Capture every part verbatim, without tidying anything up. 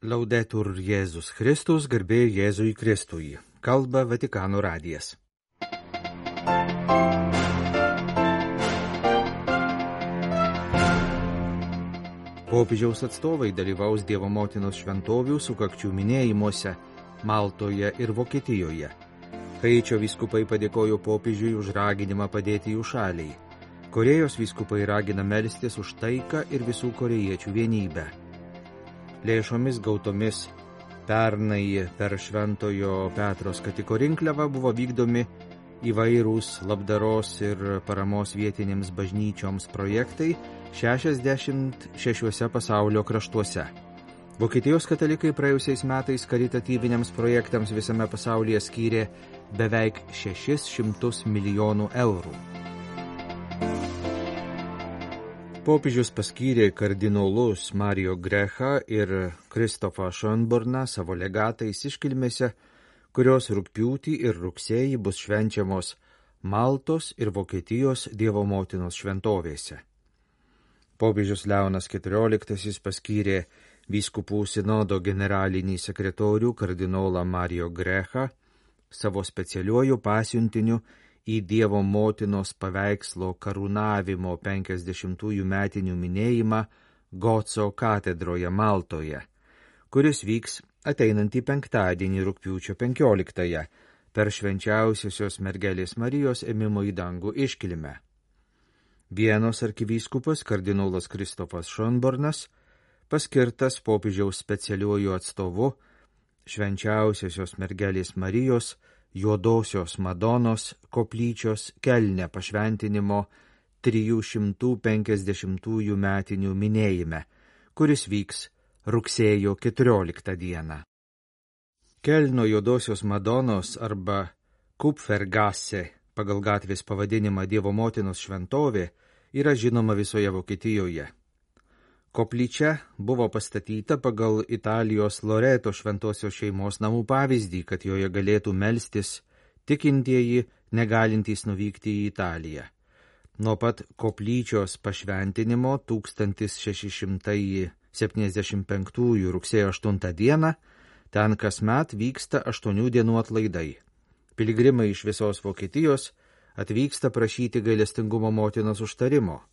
Laudetur Jėzus Kristus, garbė Jėzui Kristui. Kalba Vatikano radijas. Popiežiaus atstovai dalyvaus Dievo motinos šventovių sukakčių minėjimuose Maltoje ir Vokietijoje. Haičio vyskupai padėkojo popiežiui už raginimą padėti jų šaliai. Korėjos vyskupai ragina melstis už taiką ir visų korėjiečių vienybę. Lėšomis gautomis pernai per Šventojo Petro skatiko rinkliavą buvo vykdomi įvairūs labdaros ir paramos vietinėms bažnyčioms projektai šešiasdešimt šešiuose pasaulio kraštuose. Vokietijos katalikai praėjusiais metais karitatyviniams projektams visame pasaulyje skyrė beveik šešis šimtus milijonų eurų. Popiežius paskyrė kardinolus Mario Grechą ir Kristofą Schönborną savo legatais iškilmėse, kurios rugpjūtį ir rugsėjį bus švenčiamos Maltos ir Vokietijos Dievo motinos šventovėse. Popiežius Leonas keturioliktasis paskyrė vyskupų sinodo generalinį sekretorių kardinolą Mario Grechą savo specialiuoju pasiuntiniu į Dievo motinos paveikslo karūnavimo penkiasdešimtųjų metinių minėjimą Goco katedroje Maltoje, kuris vyks ateinantį penktadienį rugpjūčio penkioliktąją per švenčiausiosios mergelės Marijos ėmimo į dangų iškilmę. Vienos arkivyskupas kardinolas Kristofas Schönbornas paskirtas popiežiaus specialiuoju atstovu švenčiausiosios mergelės Marijos Juodosios Madonos koplyčios Kelne pašventinimo trijų šimtų penkiasdešimtųjų metinių minėjime, kuris vyks rugsėjo keturioliktą dieną. Kelno Juodosios Madonos arba Kupfergasse pagal gatvės pavadinimą Dievo motinos šventovė yra žinoma visoje Vokietijoje. Koplyčia buvo pastatyta pagal Italijos Loreto šventosios šeimos namų pavyzdį, kad joje galėtų melstis tikintieji, negalintys nuvykti į Italiją. Nuo pat koplyčios pašventinimo tūkstantis šeši šimtai septyniasdešimt penktųjų rugsėjo aštuntą dieną ten kasmet vyksta aštuonių dienų atlaidai. Piligrimai iš visos Vokietijos atvyksta prašyti gailestingumo motinos užtarimo.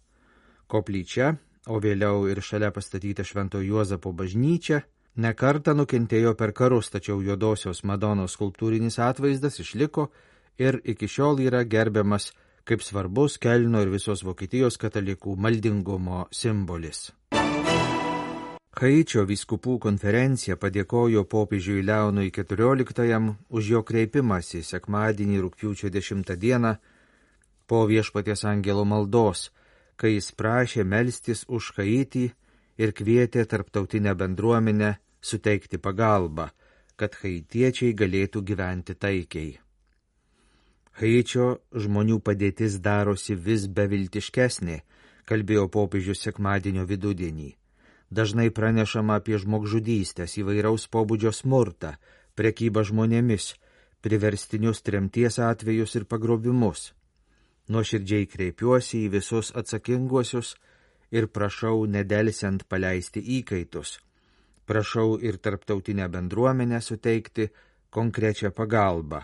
Koplyčia, o vėliau ir šalia pastatyta Švento Juozapo bažnyčia, nekartą nukentėjo per karus, tačiau Juodosios Madonos skulptūrinis atvaizdas išliko ir iki šiol yra gerbiamas kaip svarbus Kelno ir visos Vokietijos katalikų maldingumo simbolis. Haičio vyskupų konferencija padėkojo popiežiui Leonui keturioliktajam už jo kreipimąsi sekmadienį rugpjūčio dešimtą dieną po Viešpaties angelo maldos, kai jis prašė melstis už Haitį ir kvietė tarptautinę bendruomenę suteikti pagalbą, kad haitiečiai galėtų gyventi taikiai. Haičio žmonių padėtis darosi vis beviltiškesnė, kalbėjo popiežius sekmadienio vidudienį. Dažnai pranešama apie žmogžudystės, įvairaus pobūdžio smurtą, prekybą žmonėmis, priverstinius tremties atvejus ir pagrobimus. Nuoširdžiai kreipiuosi į visus atsakinguosius ir prašau nedelsiant paleisti įkaitus. Prašau ir tarptautinę bendruomenę suteikti konkrečią pagalbą,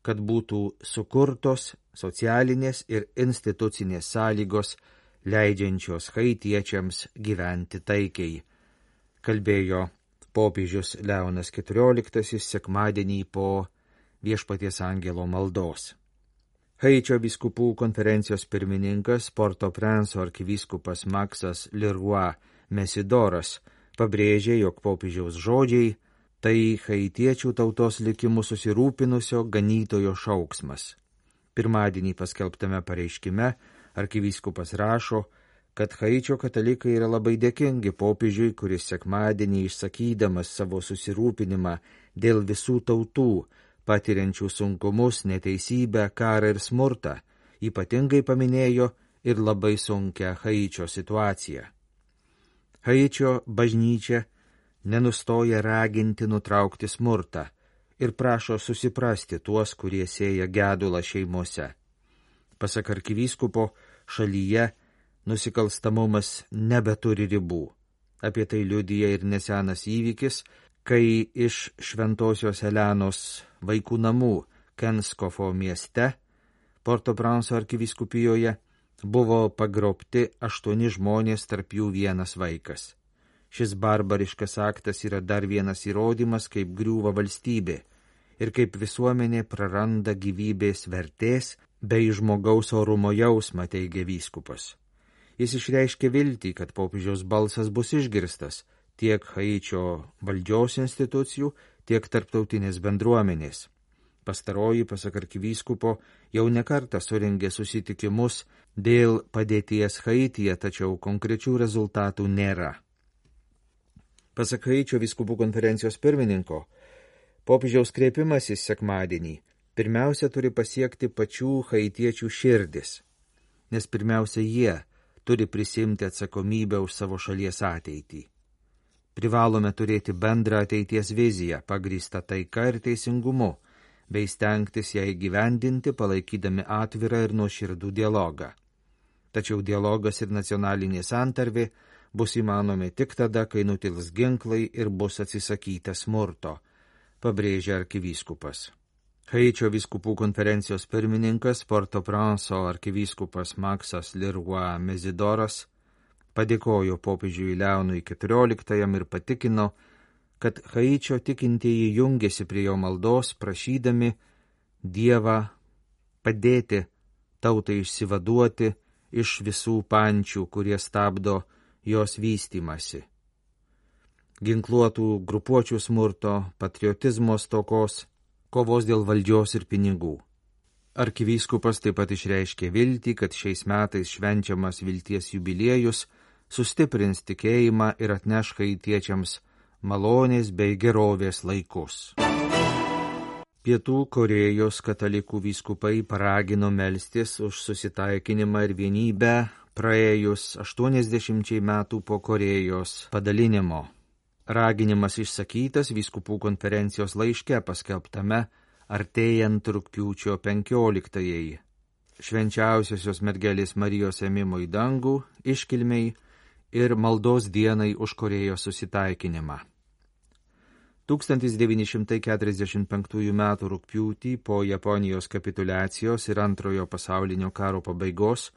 kad būtų sukurtos socialinės ir institucinės sąlygos, leidžiančios haitiečiams gyventi taikiai, kalbėjo popiežius Leonas keturioliktasis sekmadienį po Viešpaties angelo maldos. Haičio vyskupų konferencijos pirmininkas Port-au-Prince'o arkivyskupas Maksas Leroy Mesidoras pabrėžė, jog popiežiaus žodžiai tai haitiečių tautos likimu susirūpinusio ganytojo šauksmas. Pirmadienį paskelbtame pareiškime arkivyskupas rašo, kad Haičio katalikai yra labai dėkingi popiežiui, kuris sekmadienį išsakydamas savo susirūpinimą dėl visų tautų, patiriančių sunkumus, neteisybę, karą ir smurtą, ypatingai paminėjo ir labai sunkią Haičio situaciją. Haičio bažnyčia nenustoja raginti nutraukti smurtą ir prašo susiprasti tuos, kurie sėja gedulą šeimose. Pasak arkivyskupo, šalyje nusikalstamumas nebeturi ribų. Apie tai liudija ir nesenas įvykis, kai iš Šventosios Elenos vaikų namų Kenskofo mieste, Port-au-Prince arkivyskupijoje, buvo pagrobti aštuoni žmonės, tarp jų vienas vaikas. Šis barbariškas aktas yra dar vienas įrodymas, kaip griūva valstybė ir kaip visuomenė praranda gyvybės vertės bei žmogaus orumo jausmą, teigia vyskupas. Jis išreiškė viltį, kad popiežiaus balsas bus išgirstas tiek Haičio valdžios institucijų, tiek tarptautinės bendruomenės. Pastaroji, pasak arkivyskupo, jau nekartą surengė susitikimus dėl padėties Haityje, tačiau konkrečių rezultatų nėra. Pasak Haičio vyskupų konferencijos pirmininko, popiežiaus kreipimasis sekmadienį pirmiausia turi pasiekti pačių haitiečių širdis, nes pirmiausia jie turi prisimti atsakomybę už savo šalies ateitį. Privalome turėti bendrą ateities viziją, pagrįstą taika ir teisingumu, bei stengtis ją įgyvendinti, palaikydami atvirą ir nuoširdų dialogą. Tačiau dialogas ir nacionalinė santarvė bus įmanomi tik tada, kai nutils ginklai ir bus atsisakyta smurto, pabrėžia arkivyskupas. Haičio vyskupų konferencijos pirmininkas Port-au-Prince arkivyskupas Maksas Leroy Mezidoras padėkojo popiežiui Leonui keturioliktajam ir patikino, kad Haičio tikintieji jungėsi prie jo maldos, prašydami Dievą padėti tautai išsivaduoti iš visų pančių, kurie stabdo jos vystymasi. Ginkluotų grupuočių smurto, patriotizmo stokos, kovos dėl valdžios ir pinigų. Arkivyskupas taip pat išreiškė viltį, kad šiais metais švenčiamas vilties jubiliejus sustiprins tikėjimą ir atneš haitiečiams malonės bei gerovės laikus. Pietų Korėjos katalikų vyskupai paragino melstis už susitaikinimą ir vienybę praėjus aštuoniasdešimčiai metų po Korėjos padalinimo. Raginimas išsakytas vyskupų konferencijos laiške paskelbtame artėjant rugpjūčio penkioliktajai, švenčiausiosios mergelės Marijos ėmimo į dangų, iškilmei ir maldos dienai už Korėjos susitaikinimą. tūkstantis devyni šimtai keturiasdešimt penktųjų metų rugpjūtį po Japonijos kapituliacijos ir antrojo pasaulinio karo pabaigos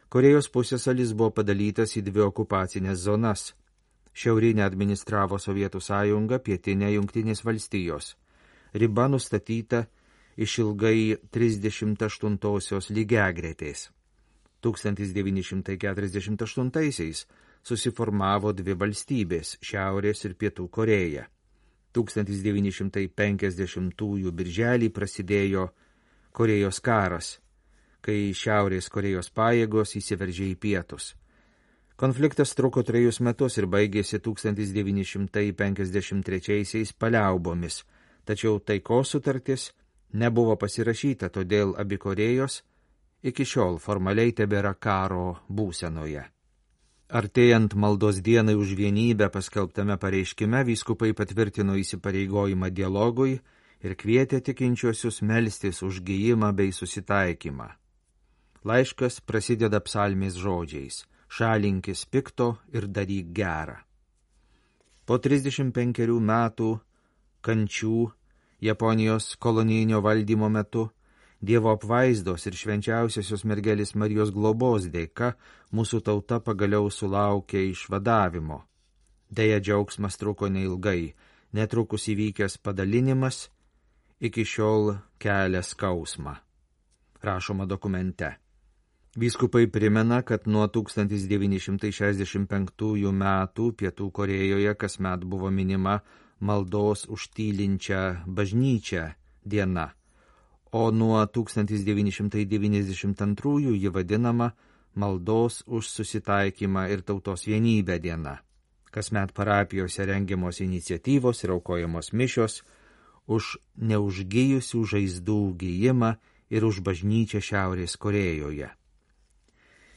Korėjos pusiasalis buvo padalytas į dvi okupacinės zonas. Šiaurinę administravo Sovietų sąjunga, pietinė Jungtinės valstijos. Riba nustatyta išilgai trisdešimt aštuntosios lygiagretės. tūkstantis devyni šimtai keturiasdešimt aštuntaisiais susiformavo dvi valstybės – Šiaurės ir Pietų Korėja. tūkstantis devyni šimtai penkiasdešimtųjų birželį prasidėjo Korėjos karas, kai Šiaurės Korėjos pajėgos įsiveržė į pietus. Konfliktas truko trejus metus ir baigėsi tūkstantis devyni šimtai penkiasdešimt trečiaisiais paliaubomis, tačiau taikos sutartis nebuvo pasirašyta, todėl abi Korėjos iki šiol formaliai tebėra karo būsenoje. Artėjant maldos dienai už vienybę paskelbtame pareiškime vyskupai patvirtino įsipareigojimą dialogui ir kvietė tikinčiuosius melstis už gijimą bei susitaikymą. Laiškas prasideda psalmės žodžiais: šalinkis pikto ir daryk gerą. Po trisdešimt penkerių metų kančių Japonijos kolonijinio valdymo metu Dievo apvaizdos ir švenčiausiosios mergelės Marijos globos dėka mūsų tauta pagaliau sulaukė išvadavimo. Deja, džiaugsmas truko neilgai, netrukus įvykęs padalinimas iki šiol kelia skausmą. Rašoma dokumente. Vyskupai primena, kad nuo tūkstantis devyni šimtai šešiasdešimt penktųjų metų Pietų Korėjoje kasmet buvo minima maldos už tylinčią bažnyčią diena, o nuo tūkstantis devyni šimtai devyniasdešimt antrųjų ji vadinama maldos už susitaikymą ir tautos vienybę diena. Kasmet parapijose rengiamos iniciatyvos ir aukojamos mišios už neužgijusių žaizdų gijimą ir už bažnyčią Šiaurės Korėjoje.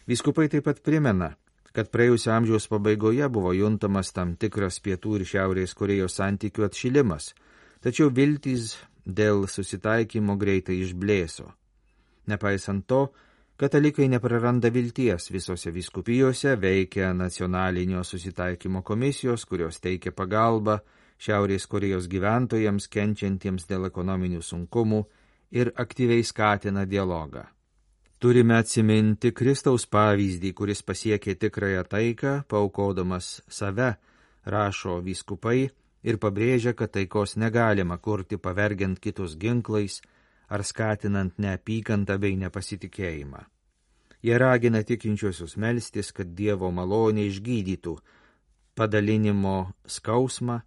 Vyskupai taip pat primena, kad praėjusio amžiaus pabaigoje buvo juntamas tam tikras Pietų ir Šiaurės Korėjos santykių atšilimas, tačiau viltys dėl susitaikymo greitai išblėso. Nepaisant to, Katalikai nepraranda vilties, visose vyskupijose veikia nacionalinio susitaikymo komisijos, kurios teikia pagalbą Šiaurės Korėjos gyventojams kenčiantiems dėl ekonominių sunkumų ir aktyviai skatina dialogą. Turime atsiminti Kristaus pavyzdį, kuris pasiekė tikrąją taiką, paaukodamas save, rašo vyskupai ir pabrėžia, kad taikos negalima kurti pavergiant kitus ginklais ar skatinant neapykantą bei nepasitikėjimą. Jie ragina tikinčiuosius melstis, kad Dievo malonė išgydytų padalinimo skausmą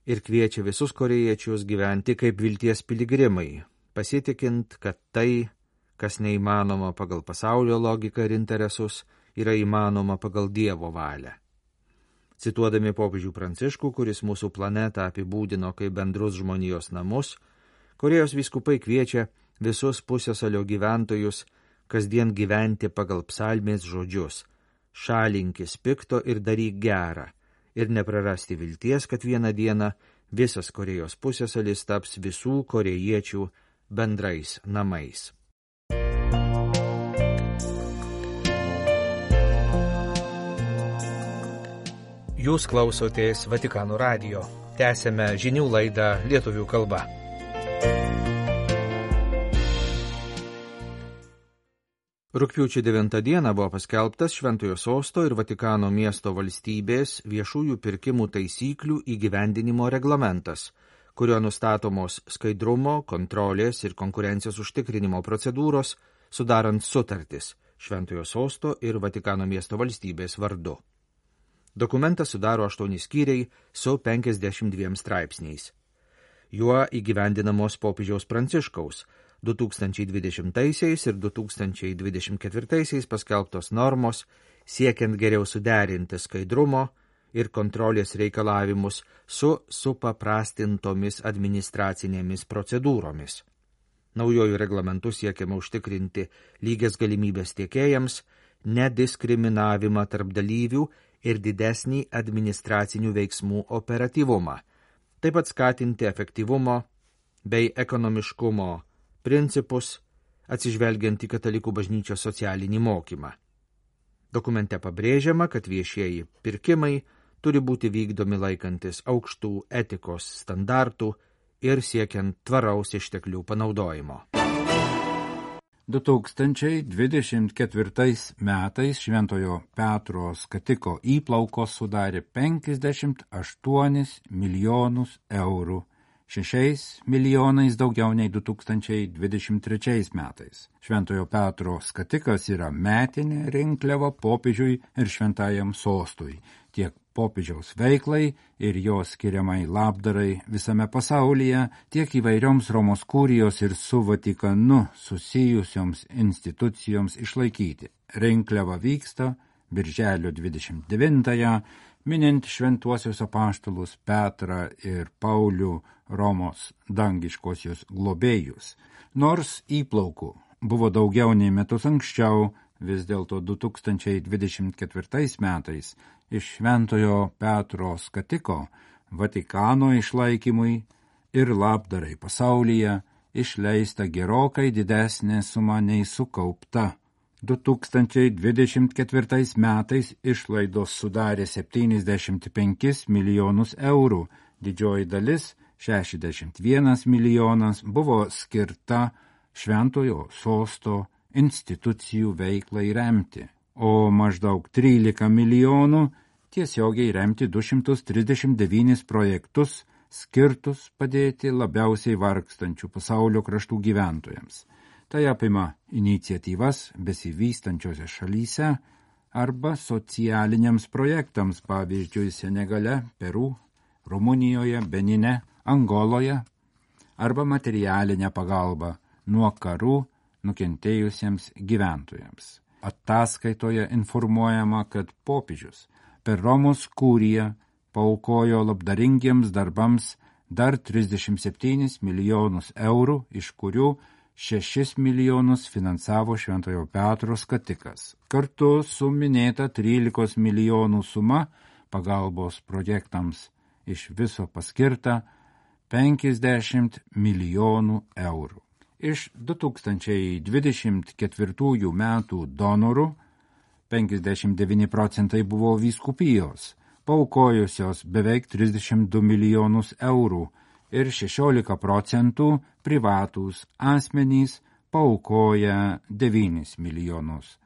ir kviečia visus korėjiečius gyventi kaip vilties piligrimai, pasitikint, kad tai, kas neįmanoma pagal pasaulio logiką ir interesus, yra įmanoma pagal Dievo valią. Cituodami popiežių Pranciškų, kuris mūsų planetą apibūdino kaip bendrus žmonijos namus, Korėjos vyskupai kviečia visus pusiasalio gyventojus kasdien gyventi pagal psalmės žodžius: šalinkis pikto ir daryk gerą, ir neprarasti vilties, kad vieną dieną visas Korėjos pusiasalis taps visų korėjiečių bendrais namais. Jūs klausotės Vatikano radijo. Tęsėme žinių laidą lietuvių kalba. Rugpjūčio devintą dieną buvo paskelbtas Šventojo Sosto ir Vatikano miesto valstybės viešųjų pirkimų taisyklių įgyvendinimo reglamentas, kurio nustatomos skaidrumo, kontrolės ir konkurencijos užtikrinimo procedūros, sudarant sutartis Šventojo Sosto ir Vatikano miesto valstybės vardu. Dokumentas sudaro aštuoni skyriai su penkiasdešimt dviem straipsniais. Juo įgyvendinamos popiežiaus Pranciškaus du tūkstančiai dvidešimtaisiais ir du tūkstančiai dvidešimt ketvirtaisiais paskelbtos normos, siekiant geriau suderinti skaidrumo ir kontrolės reikalavimus su supaprastintomis administracinėmis procedūromis. Naujojų reglamentų siekiama užtikrinti lygias galimybės tiekėjams, nediskriminavimą tarp dalyvių ir didesnį administracinių veiksmų operatyvumą, taip pat skatinti efektyvumo bei ekonomiškumo principus, atsižvelgiant į katalikų bažnyčios socialinį mokymą. Dokumente pabrėžiama, kad viešieji pirkimai turi būti vykdomi laikantis aukštų etikos standartų ir siekiant tvaraus išteklių panaudojimo. du tūkstančiai dvidešimt ketvirtais metais Šventojo Petro skatiko įplaukos sudarė penkiasdešimt aštuonis milijonus eurų, šešiais milijonais daugiau nei du tūkstančiai dvidešimt trečiais metais. Šventojo Petro skatikas yra metinė rinkliava popiežiui ir šventajam sostui, tiek popiežiaus veiklai ir jos skiriamai labdarai visame pasaulyje, tiek įvairioms Romos kurijos ir su Vatikanu susijusioms institucijoms išlaikyti. Rinkliava vyksta birželio dvidešimt devintąją, minint šventuosius apaštalus Petrą ir Paulių, Romos dangiškosios globėjus. Nors įplaukų buvo daugiau nei metus anksčiau, vis dėlto du tūkstančiai dvidešimt ketvirtais metais iš Šventojo Petro skatiko Vatikano išlaikymui ir labdarai pasaulyje išleista gerokai didesnė suma nei sukaupta. du tūkstančiai dvidešimt ketvirtais metais išlaidos sudarė septyniasdešimt penkis milijonus eurų, didžioji dalis šešiasdešimt vienas milijonas buvo skirta Šventojo Sosto institucijų veiklai remti, o maždaug trylika milijonų tiesiogiai remti du šimtus trisdešimt devynis projektus skirtus padėti labiausiai vargstančių pasaulio kraštų gyventojams. Tai apima iniciatyvas besivystančiose šalyse arba socialiniams projektams, pavyzdžiui, Senegale, Peru, Rumunijoje, Benine, Angoloje, arba materialinę pagalbą nuo karų nukentėjusiems gyventojams. Ataskaitoje informuojama, kad popiežius per Romos kuriją paaukojo labdaringiems darbams dar trisdešimt septynis milijonus eurų, iš kurių šešis milijonus finansavo Šventojo Petro skatikas. Kartu su minėta trylikos milijonų suma pagalbos projektams iš viso paskirta penkiasdešimt milijonų eurų. Iš du tūkstančiai dvidešimt ketvirtųjų metų donorų penkiasdešimt devyni procentai buvo vyskupijos, paaukojusios beveik trisdešimt du milijonus eurų ir šešiolika procentų privatūs asmenys paaukoja devynis milijonus.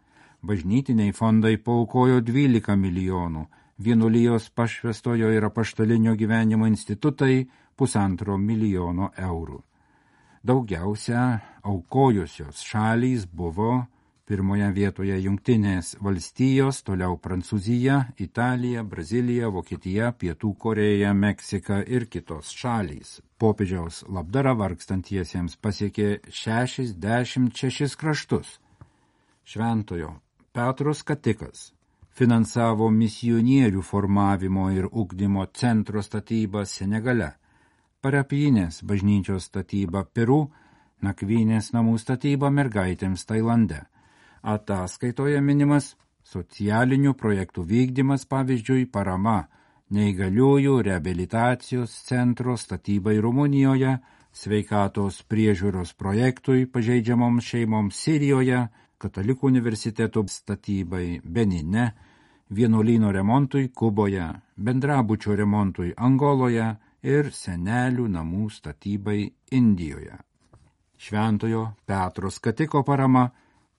Bažnytiniai fondai paaukojo dvylika milijonų, vienuolijos pašvęstojo ir apaštalinio gyvenimo institutai pusantro milijono eurų. Daugiausia aukojusios šalys buvo pirmoje vietoje Jungtinės valstijos, toliau Prancūzija, Italija, Brazilija, Vokietija, Pietų Korėja, Meksika ir kitos šalys. Popiežiaus labdara vargstantiesiems pasiekė šešiasdešimt šešis kraštus. Šventojo Petro skatikas finansavo misionierių formavimo ir ugdymo centro statybą Senegale, parapijinės bažnyčios statybą Peru, nakvynės namų statybą mergaitėms Tailande. Ataskaitoje minimas socialinių projektų vykdymas, pavyzdžiui, parama neįgaliųjų reabilitacijos centro statybai Rumunijoje, sveikatos priežiūros projektui pažeidžiamoms šeimoms Sirijoje, Katalikų universiteto statybai Benine, vienuolyno remontui Kuboje, bendrabučio remontui Angoloje ir senelių namų statybai Indijoje. Šventojo Petro skatiko parama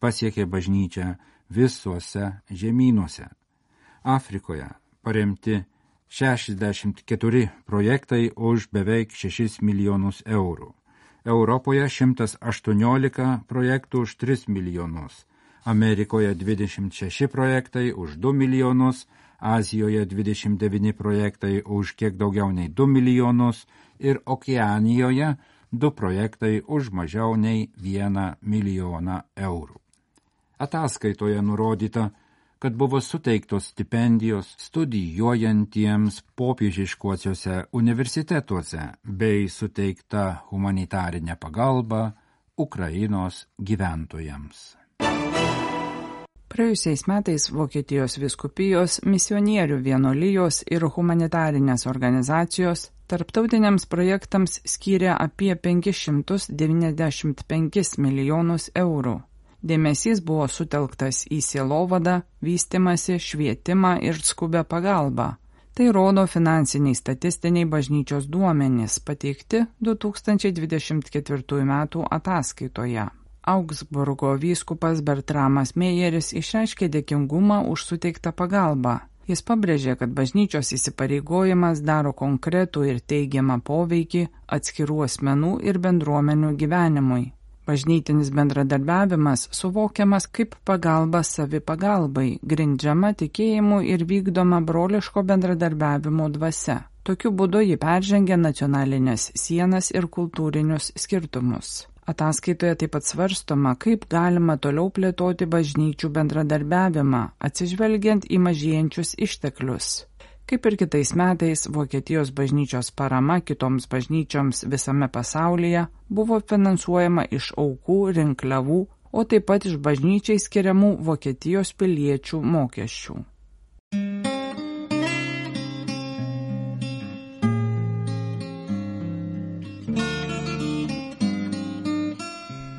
pasiekė bažnyčią visuose žemynuose. Afrikoje paremti šešiasdešimt keturi projektai už beveik šešis milijonus eurų. Europoje šimtas aštuoniolika projektų už tris milijonus. Amerikoje dvidešimt šeši projektai už du milijonus, Azijoje dvidešimt devyni projektai už kiek daugiau nei du milijonus ir Okeanijoje du projektai už mažiau nei vieną milijoną eurų. Ataskaitoje nurodyta, kad buvo suteiktos stipendijos studijuojantiems popiežiškuosiuose universitetuose bei suteikta humanitarinė pagalba Ukrainos gyventojams. Praėjusiais metais Vokietijos vyskupijos, misionierių vienuolijos ir humanitarinės organizacijos tarptautiniams projektams skyrė apie penkis šimtus devyniasdešimt penkis milijonus eurų. Dėmesys buvo sutelktas į sielovadą, vystymąsi, švietimą ir skubę pagalbą. Tai rodo finansiniai statistiniai bažnyčios duomenys pateikti du tūkstančiai dvidešimt ketvirtųjų metų ataskaitoje. Augsburgo vyskupas Bertramas Mejeris išreiškė dėkingumą už suteiktą pagalbą. Jis pabrėžė, kad bažnyčios įsipareigojimas daro konkretų ir teigiamą poveikį atskirų asmenų ir bendruomenių gyvenimui. Bažnytinis bendradarbiavimas suvokiamas kaip pagalba savipagalbai, grindžiama tikėjimu ir vykdoma broliško bendradarbiavimo dvasia. Tokiu būdu ji peržengia nacionalinės sienas ir kultūrinius skirtumus. Ataskaitoje taip pat svarstoma, kaip galima toliau plėtoti bažnyčių bendradarbiavimą, atsižvelgiant į mažėjančius išteklius. Kaip ir kitais metais, Vokietijos bažnyčios parama kitoms bažnyčioms visame pasaulyje buvo finansuojama iš aukų, rinkliavų, o taip pat iš bažnyčiai skiriamų Vokietijos piliečių mokesčių.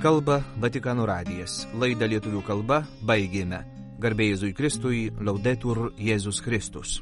Kalba Vatikano radijas. Laidą lietuvių kalba baigėme. Garbė Jėzui Kristui, Laudetur Jėzus Kristus.